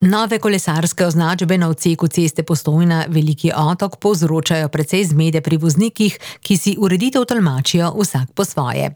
Nove kolesarske označbe na odseku ceste Postojna-Veliki Otok povzročajo precej zmede pri voznikih, ki si ureditev tolmačijo vsak po svoje.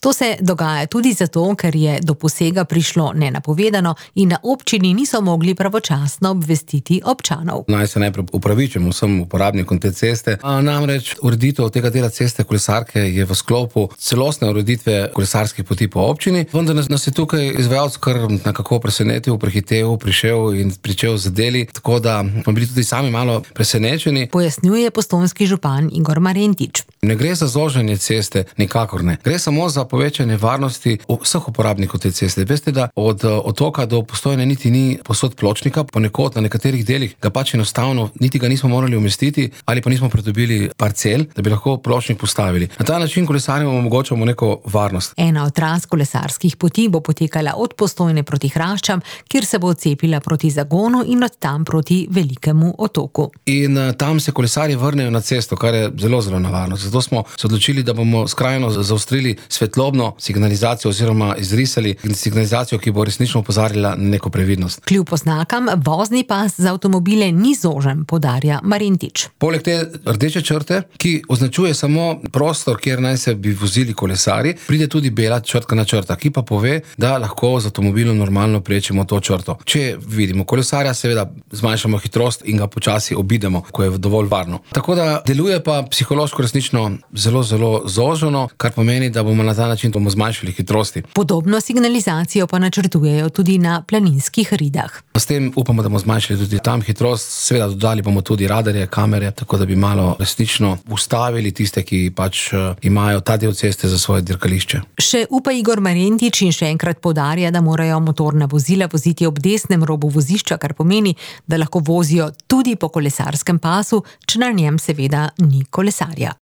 To se dogaja tudi zato, ker je do posega prišlo nenapovedano in na občini niso mogli pravočasno obvestiti občanov. Naj se najprej upravičim vsem uporabnikom te ceste. Namreč ureditev tega dela ceste kolesarke je v sklopu celostne ureditve kolesarskih poti po občini, vendar nas je tukaj izvajalec kar nekako presenetil, prehitev, prišel in pričel z deli, tako da smo bili tudi sami malo presenečeni. Pojasnjuje postojnski župan Igor Marentič. Ne gre za zoženje ceste, nikakor ne. Gre samo za povečanje varnosti vseh uporabnikov te ceste. Veste, da od Otoka do Postojne niti ni povsod pločnika, ponekod na nekaterih delih ga pač enostavno niti ga nismo morali umestiti ali pa nismo pridobili parcel, da bi lahko pločnik postavili. Na ta način kolesarjem omogočamo neko varnost. Ena od tras kolesarskih poti bo potekala od Postojne proti Hraščam, kjer se bo odcepila proti Zagonu in od tam proti Velikemu Otoku. In tam se kolesarji vrnejo na cesto, kar je zelo, zelo nevarno. Zato smo se odločili, da bomo skrajno zaostrili svetlobno signalizacijo oziroma izrisali signalizacijo, ki bo resnično opozarjala na neko previdnost. Kljub oznakam, vozni pas za avtomobile ni zožen, poudarja Marentič. Poleg te rdeče črte, ki označuje samo prostor, kjer naj se bi vozili kolesarji, pride tudi bela črtkana črta, ki pa pove, da lahko z avtomobilom normalno prečimo to črto. Če vidimo kolesarja, seveda zmanjšamo hitrost in ga počasi obidemo, ko je dovolj varno. Tako da deluje pa psihološko resnično zelo, zelo zoženo, kar pomeni, da bomo na ta način zmanjšali hitrosti. Podobno signalizacijo pa načrtujejo tudi na planinskih ridah. S tem upamo, da bomo zmanjšali tudi tam hitrost, seveda dodali bomo tudi radarje, kamere, tako da bi malo resnično ustavili tiste, ki pač imajo ta del ceste za svoje dirkališče. Še upa Igor Marentič in še enkrat poudarja, da morajo motorna vozila voziti ob desnem robu vozišča, kar pomeni, da lahko vozijo tudi po kolesarskem pasu, če na njem seveda ni kolesarja.